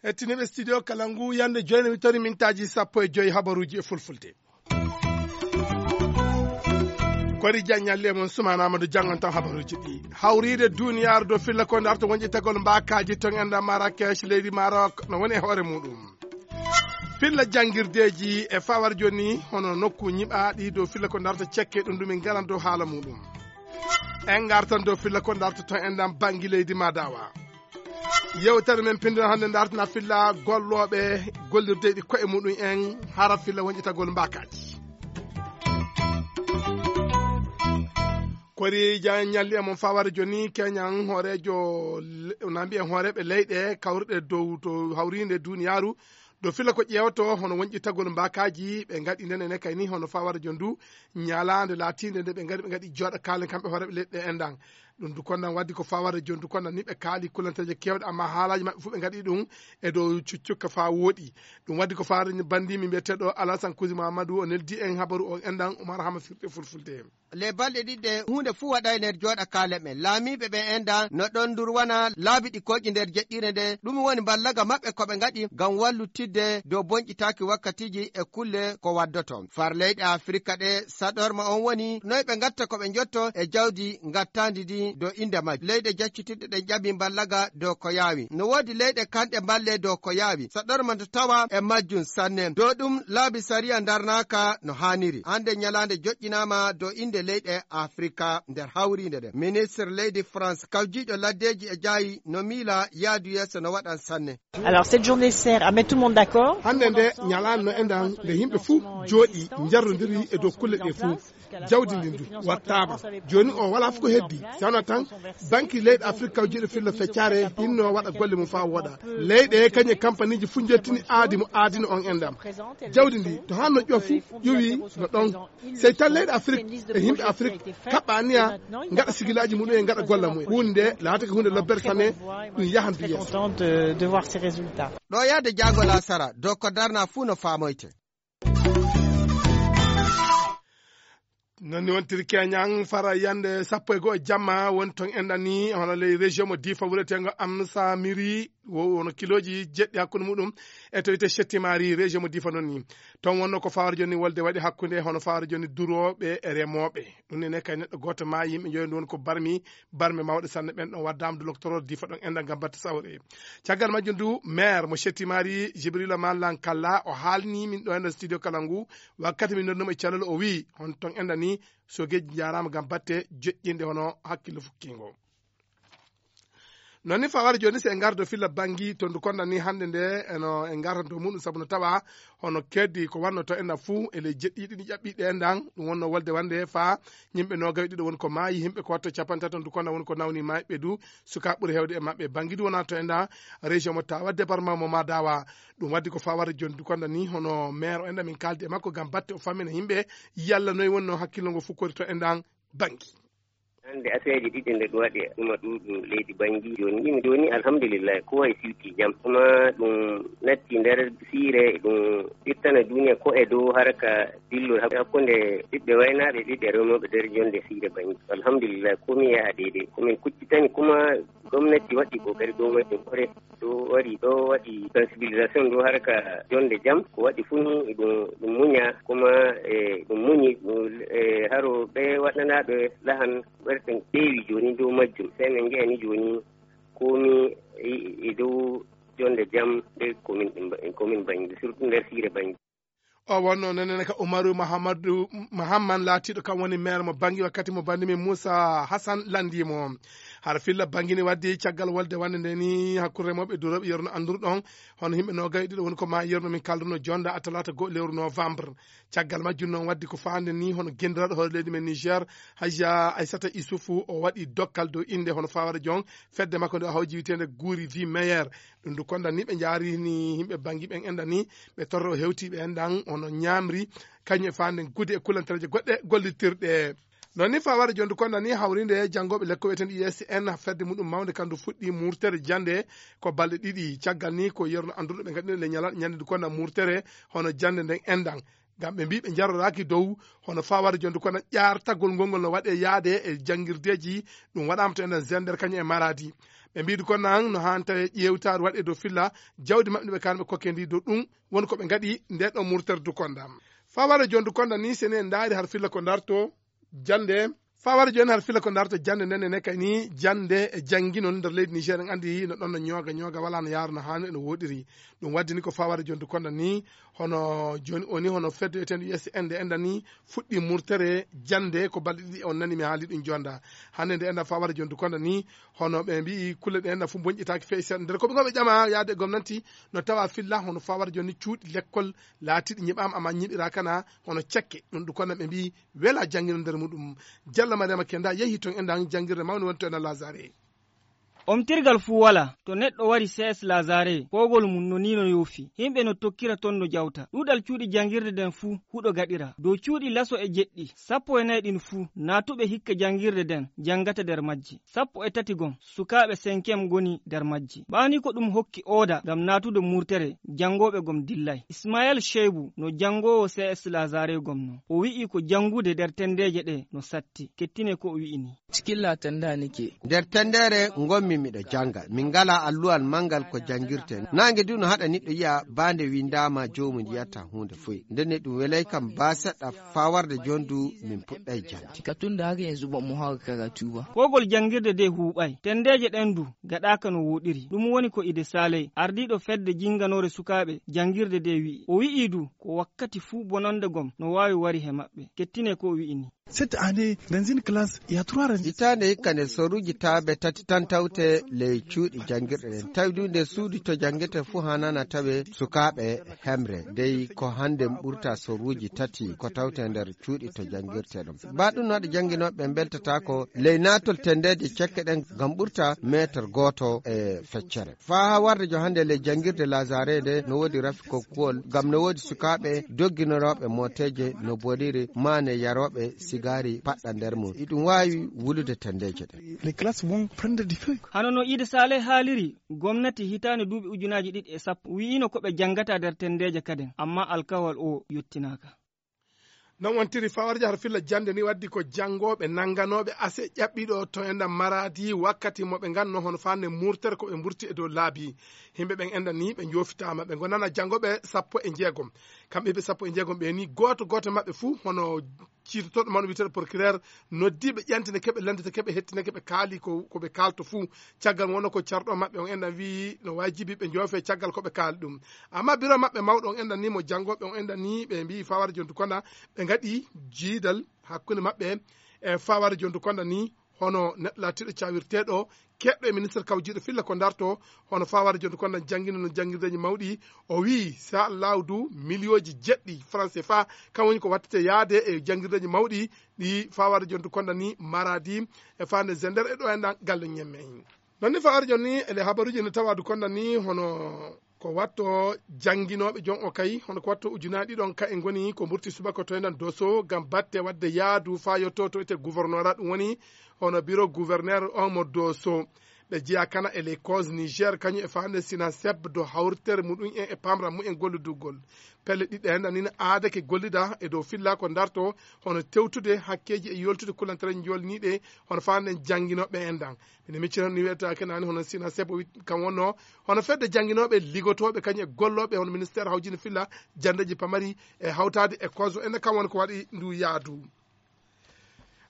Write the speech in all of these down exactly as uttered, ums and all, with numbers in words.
Hettiniiɓe studio kala ngu, yande joyne mi tori mintaaji sappo e joy habaruuji e fulfulde. Kori Diagne ñalli e mon Sumaana Amadou janngan tan habaruuji ɗi. Hawriide duniyaaru dow filla ko ndarto wonƴi tagol mbaakaaji ton enda Marrakech leydi Maroc no woni e hoore muɗum. Filla janngirdeeji e fawar jooni hono nokku ñiɓaaɗi dow filla ko ndarto cekke ɗum ɗum min ngaran dow haala muɗum. En ngartan dow filla ko ndarto ton endan banngi leydi Madawa. Yewtere men pinndira hannde ndartana filla gollooɓe gollirdeeɗi koye muɗum en hara filla wonƴitagol mbaakaaji. Kori Diagne ñalli e mon fawar jooni keñan hooreejo le- na mbiyen hooreeɓe leyɗe kawruɗe dow to hawriinde duniyaaru dow filla ko ƴeewto hono wonƴitagol mbaakaaji ɓe ngaɗi nden ene kayni hono fawar jooni du ñalaande laatiinde nde ɓe ngari ɓe ngaɗi jooɗa kaalen kamɓe hooreeɓe leyɗe endan. Ɗum du kondan waddi ko fawar jooni du kondan ni ɓe kaali kulanteeje keewɗe amma haalaaji maɓɓe fof ɓe ngaɗi ɗum e dow cuccukka faa wooɗi. Ɗum waddi ko fawar banndiimi mbiyeteeɗo Alasan Kusi Mamadou o neldi en habaru o endan Umar Hama firti e fulfulde. Les balɗe ɗiɗɗe huunde fuu waɗay nder jooɗa kaalen ɓen laamiiɓe ɓen endan no ɗon ndurwana laabi ɗi koƴi nder jeɗɗire nde ɗum woni mballaga maɓɓe ko ɓe ngaɗi ngam wallutidde dow bonƴitaaki wakkatiiji e kulle ko waddoto far leyɗe Afirka ɗe saɗorma on woni noy ɓe ngatta ko ɓe njotto e jawdi ngattaandi ndi dow innde majji leyɗe jaccitidde ɗen ƴaɓi mballaga dow ko yaawi no woodi leyɗe kanɗe mballe dow ko yaawi saɗorma nde tawa e majjum sanne dow ɗum laabi sariya ndarnaaka no haaniri hannde ñalaande joƴƴinaama dow innde leyɗe Afrika nder hawriinde ɗen ministre leydi France kawjiiɗo laddeeji e jaayi no miila yaadu yeeso no waɗan sanne. Alors cette journée sert à mettre tout le monde d'accord. Hannde nde ñalaande no enɗan nde yimɓe fuu jooɗi njarrondiri e dow kulle ɗe fuu. Jawdi ndin du wattaama. Jooni o walaa fof ko heddi si wonaa tan banki leyɗe Afrika kawjiiɗo filla feccare hinno waɗa golle mum faa wooɗa. Leyɗe kañe kampaniiji fuu njettini aadi mo aadino on enɗam. Jawdi ndi to haa no ƴofu ƴowi no ɗon. Sey tan leyɗe Afrik e yimɓe Afrik kaɓɓa aniya ngaɗa sigilaaji mumen ngaɗa golla mumen huunde nde laatake huunde lobbere sanne. Ɗum yahan du yeeso. Content de, de voir ces résultats. Ɗo yahde jaagol asara dow ko darna fuu no faamoyte. Noon ni wontiri keñan fara yande sappo e go'o jamma woni toon enɗan ni hono ley région mo difa wureteengo amsamiri wono kilooji jeɗɗi hakkunde muɗum e to wiyte chettimari région mo difa noon ni. Toon wonno ko fawar joni wolde waɗi hakkunde hono fawar joni durooɓe e remooɓe. Ɗum nene kay neɗɗo gooto maayi yimɓe njoyo ndu woni ko barmi barme mawɗe sanne ɓen ɗon waddaama du loktoro difa ɗon enɗan ngam batte sawre. Caggal majjum du maire mo chettimari jibrila mallan kalla o haalni min ɗo enɗan studio kala ngu. Wakkati min noddunomo e calal o wii hon toon enɗan ni sogeeji njaaraama ngam batte joƴƴinde hono hakkille fukkiingo. Noon ni fawar jooni si en ngardo filla banngi to ndu kondan ni hannde nde eno en ngartan to muɗum sabu no tawa hono keddi ko wanno to enɗan fuu e ley jeɗɗiiɗi ɗi ƴaɓɓiiɗe enɗan. Ɗum wonno wolde wande faa yimɓe noogay ɗiɗo woni ko maayi yimɓe ko watto capantato ndu kondan woni ko nawni maayɓe du. Sukaa ɓuri heewde e maɓɓe banngi du wona to enɗan région mo tawa département mo madawa. Ɗum waddi ko fawar jooni du kondan ni hono maire o enɗan min kaaldi e makko ngam batte o fammina yimɓe yalla noy wonno hakkillo ngo fukkori to enɗan banngi. Hannde aseeje ɗiɗi nde ɗum waɗi ɗuma ɗuuɗum leydi banngi jooni ɗimi jooni alhamdulillahi ko wayi siwti jam kuma ɗum natti nder siire ɗum ittana duniya ko e dow haraka dillol hakkunde ɓiɓɓe waynaaɓe ɓiɓɓe remooɓe nder jonde siire banngi alhamdulillahi komi yaha deydey komin kuccitani kuma gomnati waɗi kokari dow majjum kore ɗo wari ɗo waɗi sensibilisation ɗo haraka jonde jam ko waɗi fuu ni ɗum ɗum muña kuma e ɗum muñi e haro ɓe waɗanaaɓe lahan ɓerɗen ɓeewi jooni dow majjum sey min njeyani jooni komi e dow jonde jam ɓe komin komin bannge surtout nder siire bannge. O wonno nenene ka umaru mahammadu mahamman laatiiɗo kam woni maire mo banngi wakkati mo banndi min moussa hassan lanndii mo. Hara filla bangini waddi caggal wolde wande nde ni hakkunde remooɓe e durooɓe yerno annduruɗon hono yimɓe noogay ɗiɗo woni ko ma yerno min kalduno jonda a talaata goo lewru novembre. Caggal majjum noon waddi ko faande ni hono gendiraaɗo hoore leydi men niger, hajja aissata issoufou o waɗi dokkal dow innde hono fawara jon fedde makko nde o hawji wiyeteende guuri vie meilleur. Ɗum du kondan ni ɓe njarini yimɓe bangi ɓen enɗan ni ɓe torro hewtiɓe enɗan hono ñamri kañum e faande gude e kulantereje goɗɗe gollitirɗe. Noon ni fawara jondu kondan ni hawrinde janngoɓe lekko wiyeten usn fedde muɗum mawnde kandu fuɗɗi murtere jannde ko balɗe ɗiɗi caggal ni ko yerno annduɗo ɓe ngaɗino le ñalal ñande du kondan murtere hono jannde nden enɗan. Ngam ɓe mbii ɓe njaroraaki dow hono faawaade jonde kono ƴaartagol ngol ngol no waɗee yaade e janngirdeeji. Ɗum waɗaama to enen zender kañum e maraadi. Ɓe mbii du kono an no haani tawi ƴeewtaare waɗee dow filla jawdi maɓɓe ndi ɓe kaani ɓe kokkee ndi dow ɗum woni ko ɓe ngaɗi nde ɗo murtere du konda. Faawaade jonde konda ni sene ndaari har filla ko ndarto jannde. Faawaade jooni har filla ko ndarto jannde nden ene kay ni jannde e jannginol nder leydi Niger en anndi no ɗon no ñooga ñooga wala no yaara no haani no woɗiri. Ɗum waddi ni ko faawaade jonde konda ni hono jooni o ni hono fedde wiyeteende U S N nde enda ni fuɗɗi murtere jannde ko balɗe ɗiɗi on nani mi haali ɗum jonda. Hannde nde enda faawaade jonde konda ni hono ɓe mbii kulle ɗe enda fof bonƴitaaki fey seeɗa nder ko ɓe ngoɓe ƴama yaade e gomnanti no tawa filla hono faawaade jooni cuuɗi lekkol laatiiɗi ñiɓaama amma ñiɓiraa kana hono cekke ɗum ɗum konda ɓe mbii wela janngino nder muɗum. Jalla Mariama Kenda yehi ton e ndan janngirde mawnde woni to ena Lazare. Omtirgal fuu walaa to neɗɗo wari C S Lazare koogol mum no nii no yoofi. Himɓe no tokkira ton no jawta. Ɗuuɗal cuuɗi janngirde nden fuu huɗo gaɗira. Dow cuuɗi laso e jeɗɗi, sappo e nayi ɗin fuu naatuɓe hikka janngirde nden janngata nder majji. Sappo e tati gom sukaaɓe senkem ngoni nder majji. Ɓaani ko ɗum hokki ooda ngam naatude murtere janngooɓe gom dillay. Ismael Sheibu no janngoowo C S Lazare gom no. O wi'i ko janngude nder tenndeeje ɗe no satti. Kettine ko o wi'i ni. Cikilla tannda nike. Nder tenndeere ngonmi miɗo jannga. Min ngalaa alluwal manngal ko janngirten. Naange du no haɗa niɗɗo yi'a baa nde winndaama joomum yi'ataa huunde foy. Ndenne ɗum welay kam baa seɗɗa faa warde jooni du min puɗɗay jannde. Ka tun da haka yanzu ba mu haka karatu ba. Koogol janngirde de huuɓay. Tenndeeje ɗen du gaɗaaka no wooɗiri. Ɗum woni ko Ide Saaley, ardiiɗo fedde jinnganoore sukaaɓe janngirde de wi'i. O wi'i du ko wakkati fuu bonannde gom no waawi wari he maɓɓe. Kettine ko o wi'i ni. Cette année, dans une classe, il y a trois rangs. Hitaande hikka nde soruuji taabe tati tan tawte ley cuuɗi janngirɗe ɗen. Tawi du nde suudu to janngete fuu haanana tawe sukaaɓe hemre. Dey ko hannde ɓurta soruuji tati ko tawte nder cuuɗi to janngirte ɗum. Ba ɗum no waɗa jannginooɓe ɓe mbeltataako ley naatol tenndeeje cekke ɗen ngam ɓurta meetar gooto e feccere. Faa haa warde jo hannde ley janngirde Lazare nde no woodi rafi kokkuwol ngam no woodi sukaaɓe dogginorooɓe mooteeje no boɗiri maane yarooɓe sigaari paɗɗa nder mum. Iɗum waawi wulude tenndeeje ɗen. Les classes vont prendre du feu. Hano no Ide Saaley haaliri, gomnati hitaande duuɓi ujunaaji ɗiɗi e sappo wi'ino ko ɓe janngata nder tenndeeje kaden, amma alkawal o yottinaaka. Non wontiri faawarja har filla jannde ni waddi ko janngooɓe nannganooɓe ase ƴaɓɓiiɗo to enɗam maraadi wakkati mo ɓe nganno hono faande murtere ko ɓe mburti e dow laabi. Himɓe ɓen enɗam ni ɓe njoofitaama ɓe ngonana janngooɓe sappo e njeegom. Kamɓe ɓe sappo e njeegom ɓe ni gooto gooto maɓɓe fuu hono ciitotooɗo mawɗo wiyeteeɗo procureur noddiiɓe ƴantine keɓe lanndete keɓe hettineke ɓe kaali ko ko ɓe kaalto fuu. Caggal wonno ko carɗo maɓɓe on enɗan wi'i no waajibi ɓe njoofe caggal ko ɓe kaali ɗum. Amma biro maɓɓe mawɗo on enɗan ni mo janngooɓe on enɗan ni ɓe mbi'i fawara jontu konda ɓe ngaɗi jiidal hakkunde maɓɓe e fawara jontu konda ni hono neɗɗo laatiiɗo cawirteeɗo keɓɗo e ministre kawjiiɗo filla ko darto hono fawara jontu konda janngino no janngirdeeji mawɗi. O wi'i sa allahu du miliyooji jeɗɗi franc cfa kan woni ko wattete yaade e janngirdeeji mawɗi ɗi fawara jontu konda ni maradi e fande zender e ɗo enɗan galle ñemme. Non ni fawara jonni ele habaruji no tawadu konda ni hono ko watto jannginooɓe jon o kay hono ko watto ujunaaji ɗiɗon ka e ngoni ko mburti subaka to enɗan doso ngam batte wadde yaadu faa yotto to ete gouvernora ɗum woni hono biro gouverneur on mo doso. Ɓe jeya kana e les causes niger kañum e faande sina sebdo hawritere muɗum en e pamra mumen golludugol. Pelle ɗiɗɗe enɗan nina aadake gollida e dow filla ko darto hono tewtude hakkeeji e yoltude kulantere jolniiɗe hono faande jannginooɓe enɗan. Mine miccita ni wiyata kenani hono sina sebo kam wonno hono fedde jannginooɓe ligotooɓe kañum e gollooɓe hono ministére hawjini filla janndeeji pamari e hawtaade e koso ene kam woni ko waɗi ndu yaadu.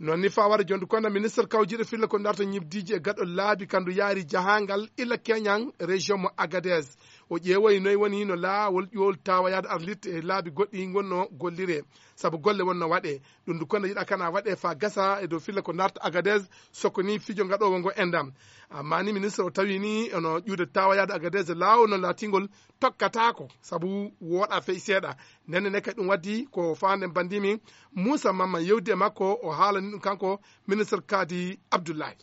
Non ni fawara jondu kono ministre kawjiɗo filla ko darto ñibdiji e gaɗo laabi kandu yaari jahangal illa keñan région mo agadez. O ƴeewoyi noy woni no laawol ƴool tawa yaade arlitte e laabi goɗɗi gonno gollire sabu golle wonno waɗe. Ɗum ndu kono yiɗa kana waɗe fa gasa e dow filla ko darta agadez sokoni fijo gaɗowo ngo endam. Amma ni ministre o tawi ni ono ƴuude tawa yaade agadez laawol no laatingol tokkatako sabu woɗa fey seeɗa. Nenne ne kadi ɗum waddi ko fande bandimi moussa mamma yewdi e makko o haalani ɗum kanko ministre kadi abdoullahi.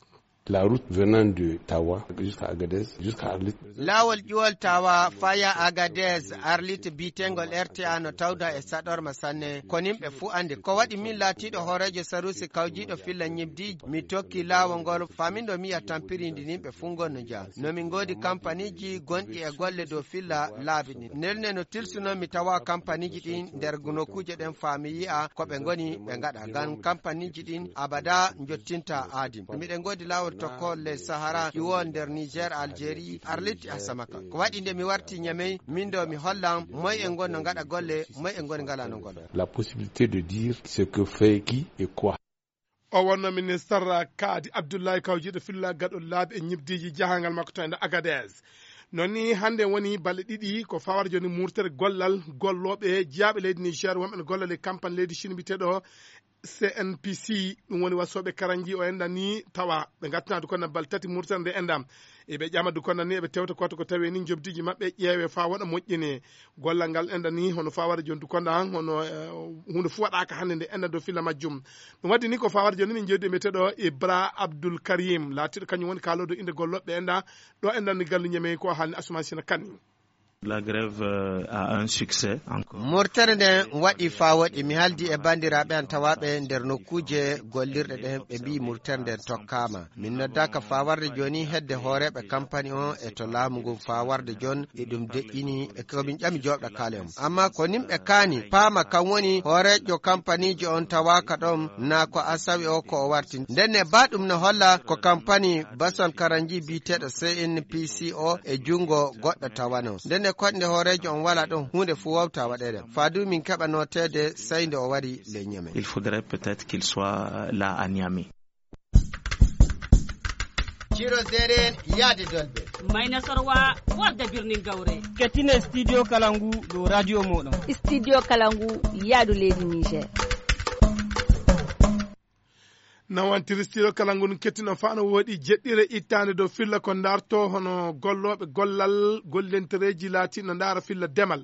La route venant de Tawa jusqu'à Agadez, jusqu'à Arlit. Laawol ƴuwol Tawa faya Agadez, Arlit biyeteengol R T A no tawda e saɗorma sanne. Ko nimɓe fuu anndi. Ko waɗi min laatiiɗo hooreejo saruusi kawjiiɗo filla ñibdiiji, mi tokki laawol ngol, faa min ɗo mi yi'a tampiriindi nimɓe fuu ngol no njaha. No min ngoodi kampaniiji gonɗi e golle dow filla laabi ɗin. Ndenne no tilsunoo mi tawa kampaniiji ɗin nder nokkuuje ɗen faa mi yi'a ko ɓe ngoni ɓe ngaɗa. Ngam kampaniiji ɗin abada njottinta aadi. Miɗen ngoodi laawol tokkool ley Sahara, ƴuwol nder Niger, Algérie, Arlit, Asamaka. Ko waɗi nde mi warti Ñamey, min ɗo mi hollan moy e ngon no ngaɗa golle, moy e ngon ngalaa no golla. La possibilité de dire ce que fait qui et quoi. O wonno ministre Kaadi Abdullahi kawjiiɗo filla gaɗol laabi e ñibdiiji jahangal makko to e nder Agadez. Non ni hannde woni balɗe ɗiɗi ko fawata jooni murtere gollal gollooɓe jeyaaɓe leydi Niger wonɓe no golla ley kampani leydi Chine biyeteeɗo C N P C, ɗum woni wasooɓe karanji o enɗan ni tawa ɓe ngattinaa dukonda balɗe tati murtere nde enɗan. Eɓe ƴama dukonda ni eɓe tewta koto ko tawi ni njobdiiji maɓɓe ƴeewe faa waɗa moƴƴine. Gollal ngal enɗan ni hono faa waɗa jooni dukonda hono, eh, huunde fuu waɗaaka hannde nde enɗan dow filla majjum. Ɗum waɗi ni ko faa waɗa jooni min njeewdi e biyeteeɗo Ibra Abdul Karim, laatiiɗo kañum woni kaaloodo innde gollooɓe enɗan, ɗo enɗan ni gallu Ñamey ko haalni Asuman Sina Kane. La grève, euh, a un succès encore. Murtere nden waɗi faa woɗi. Mi haaldi e banndiraaɓe an tawaaɓe nder nokkuuje gollirɗe ɗen, ɓe mbi'i murtere nden tokkaama. Min noddaaka faa warde jooni hedde hooreeɓe kampani on e to laamu ngun faa warde jon e ɗum deƴƴini e ko min ƴami jooɗa kaale on. Ammaa ko nimɓe kaani paama kan woni hooreejo kampaniiji on tawaaka ɗon naa ko asawi o ko o warti. Ndenne baa ɗum no holla ko kampani Basal Karanji biyeteeɗo C N P C o e junngo goɗɗo tawano. Ndenne koɗnde hooreejo on walaa ɗon huunde fuu wawta waɗeede. Faa du min keɓa nooteede sey nde o wari ley Ñamey. Il faudrait peut-être qu'il soit là à Niamey. Ciro Zeren yaade Dolbe. Mayna Sorwa warde birnin Gawre. Kettine Studio Kalangu ɗo radio moɗon. Studio Kalangu yaadu leydi Niger. Nawantiri Studio Kalangu ɗum kettino faa no woodi jeɗɗire ittaande dow filla ko ndarto hono gollooɓe gollal gollentereeji laatiiɗo ndaara filla demal.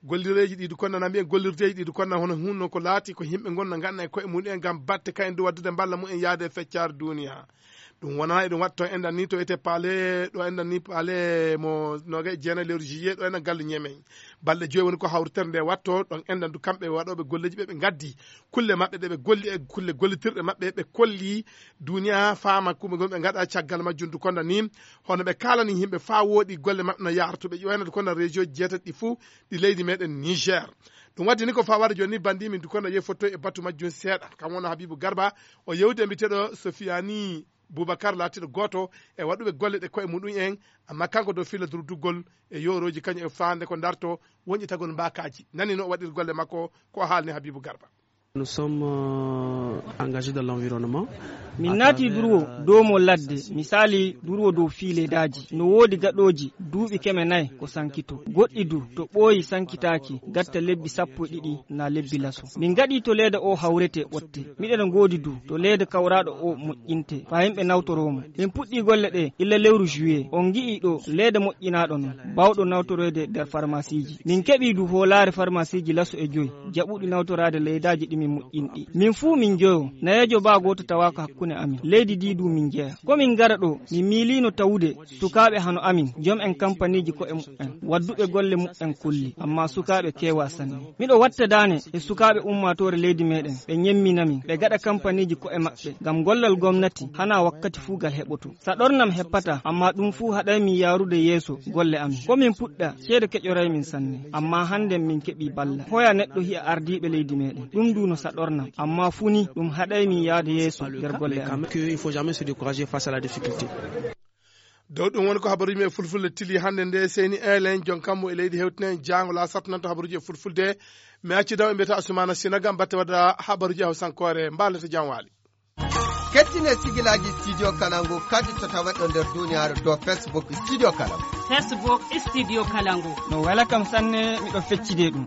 Gollireeji ɗi du konna na mbiyen gollirdeeji ɗi du konna hono hunno ko laati ko yimɓe ngon no nganna e koye mumen ngam batte kayen du waddude mballa mumen yaade e feccaare duniya. Ɗum wona eɗum waɗto enɗan ni to ete paale ɗo enɗan ni paale mo noga e jeena lewru juillet ɗo enɗan galle Ñamey. Balɗe joyi woni ko hawritere nde watto ɗon enɗan du kamɓe waɗooɓe golleeji ɓe ɓe ngaddi kulle maɓɓe ɗe ɓe golli e kulle gollitirɗe maɓɓe ɓe kolli duniya faama kuɓe gonɓe ngaɗa caggal majjum du konda ni hono ɓe kaalani yimɓe faa wooɗi golle maɓɓe no yaartuɓe ƴoyna du konda région jeetati ɗi fuu ɗi leydi meɗen Niger. Ɗum waddi ni ko faa wara jooni ni banndi min du konda yehi fottoy e batu majjum seeɗa kam wona Habibu Garba o yewdi e mbiteɗo Sofiani Boubacar laatiiɗo gooto e waɗuɓe golle ɗe koye muɗum en amma kanko dow filla durduggol e yoorooji kañum e faande ko darto woñƴitagol mbaakaaji nani no o waɗir golle makko ko o haalni Habibu Garba. Nous sommes engagés dans l'environnement. Min naati durwo dow mo ladde misali durwo dow fii leedaaji no woodi gaɗooji duuɓi keme nayi ko sankito goɗɗi du to ɓooyi sankitaaki gatta lebbi sappo e ɗiɗi na lebbi laso min ngaɗi to leeda o hawrete ɓotte miɗen ngoodi du to leeda kawraaɗo o moƴƴinte faa yimɓe nawtoroo mo min puɗɗii golle ɗe illa lewru juillet on ngi'ii ɗo leeda moƴƴinaaɗo non baawɗo nawtoroyde nder farmasiiji min keɓii du hoolaare farmasiiji laso e joyi jaɓuɗi nawtoraade leedaaji ɗi min moƴƴinɗi min fuu min njoyo nayeejo baa gooto tawaaka hakkunde amin leydi ndii du min njeya ko min ngara ɗo min miiliino tawude sukaaɓe hano amin jom en kampaniiji ko'e muɓɓen wadduɓe golle muɓɓen kolli amma sukaaɓe keewaa sanne miɗo watta daane e sukaaɓe ummaatoore leydi meɗen ɓe ñemminaa min ɓe gaɗa kampaniiji ko'e maɓɓe ngam gollal gomnati hanaa wakkati fuu ngal heɓotoo saɗornam heppataa amma ɗum fuu haɗay min yaarude yeeso golle amin ko min puɗɗaa ceede keƴoray min sanne amma hannden min keɓii ballal hoya neɗɗo hi'a ardiiɓe leydi meɗen ɗum du no saɗornam amma fuu ni ɗum haɗay min yaade yeeso nder golle amin. Dow ɗum woni ko habaruuji men e fulfulde tili hannde nde seyni elen jon kammu e leydi hewtinen jaango la sattananto habaruuji e fulfulde mi acci daw e mbiyata Asumana Sina gam batte wadda habaruuji e hawsankoore mbaalete jam waali. Kettine sigilaaji studio kalangu kadi to tawaɗo nder duniyaaru dow facebook studio kalangu. Facebook studio kalangu. No wela kam sanne miɗo feccide ɗum.